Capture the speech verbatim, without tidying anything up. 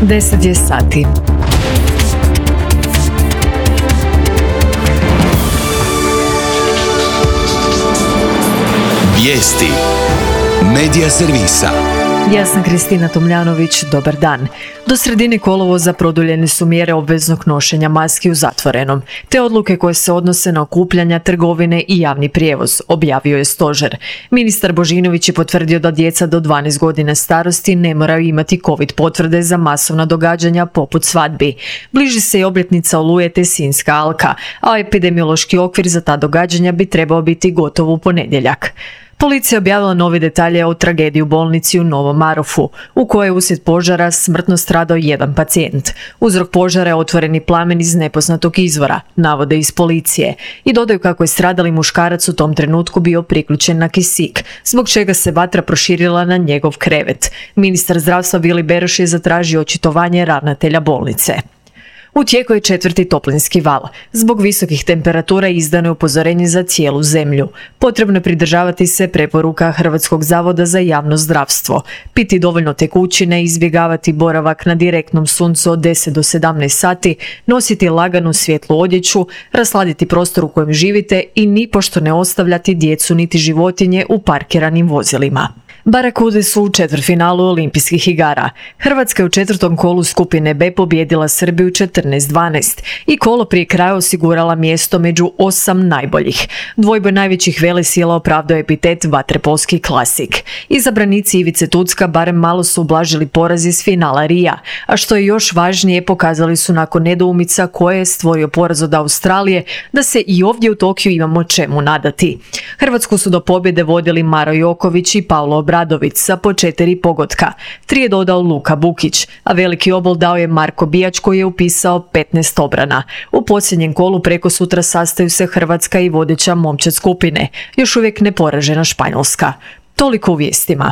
deset je sati. Vijesti Medija servisa. Ja sam Kristina Tomljanović, dobar dan. Do sredine kolovoza produljene su mjere obveznog nošenja maski u zatvorenom, te odluke koje se odnose na okupljanja, trgovine i javni prijevoz, objavio je stožer. Ministar Božinović je potvrdio da djeca do dvanaest godina starosti ne moraju imati covid potvrde za masovna događanja poput svadbi. Bliži se i obljetnica Oluje te Sinjska alka, a epidemiološki okvir za ta događanja bi trebao biti gotov u ponedjeljak. Policija je objavila nove detalje o tragediji u bolnici u Novom Marofu, u kojoj je uslijed požara smrtno stradao jedan pacijent. Uzrok požara je otvoreni plamen iz nepoznatog izvora, navode iz policije, i dodaju kako je stradali muškarac u tom trenutku bio priključen na kisik, zbog čega se vatra proširila na njegov krevet. Ministar zdravstva Vili Beroš je zatražio očitovanje ravnatelja bolnice. U tijeku je četvrti toplinski val. Zbog visokih temperatura izdano je upozorenje za cijelu zemlju. Potrebno je pridržavati se preporuka Hrvatskog zavoda za javno zdravstvo. Piti dovoljno tekućine, izbjegavati boravak na direktnom suncu od deset do sedamnaest sati, nositi laganu svjetlu odjeću, rasladiti prostor u kojem živite i nipošto ne ostavljati djecu niti životinje u parkiranim vozilima. Barakude su u četvrtfinalu Olimpijskih igara. Hrvatska je u četvrtom kolu skupine B pobijedila Srbiju četrnaest dvanaest i kolo prije kraja osigurala mjesto među osam najboljih. Dvojboj najvećih velesila opravdao epitet vaterpolski klasik. Izabranici Ivice Tucka barem malo su ublažili poraz iz finala Rija, a što je još važnije, pokazali su nakon nedoumica koje je stvorio poraz od Australije da se i ovdje u Tokiju imamo čemu nadati. Hrvatsku su do pobjede vodili Maro Joković i Paulo Obradović sa po četiri pogotka. Tri je dodao Luka Bukić, a veliki obol dao je Marko Bijač koji je upisao petnaest obrana. U posljednjem kolu preko sutra sastaju se Hrvatska i vodeća momčad skupine, još uvijek neporažena Španjolska. Toliko u vijestima.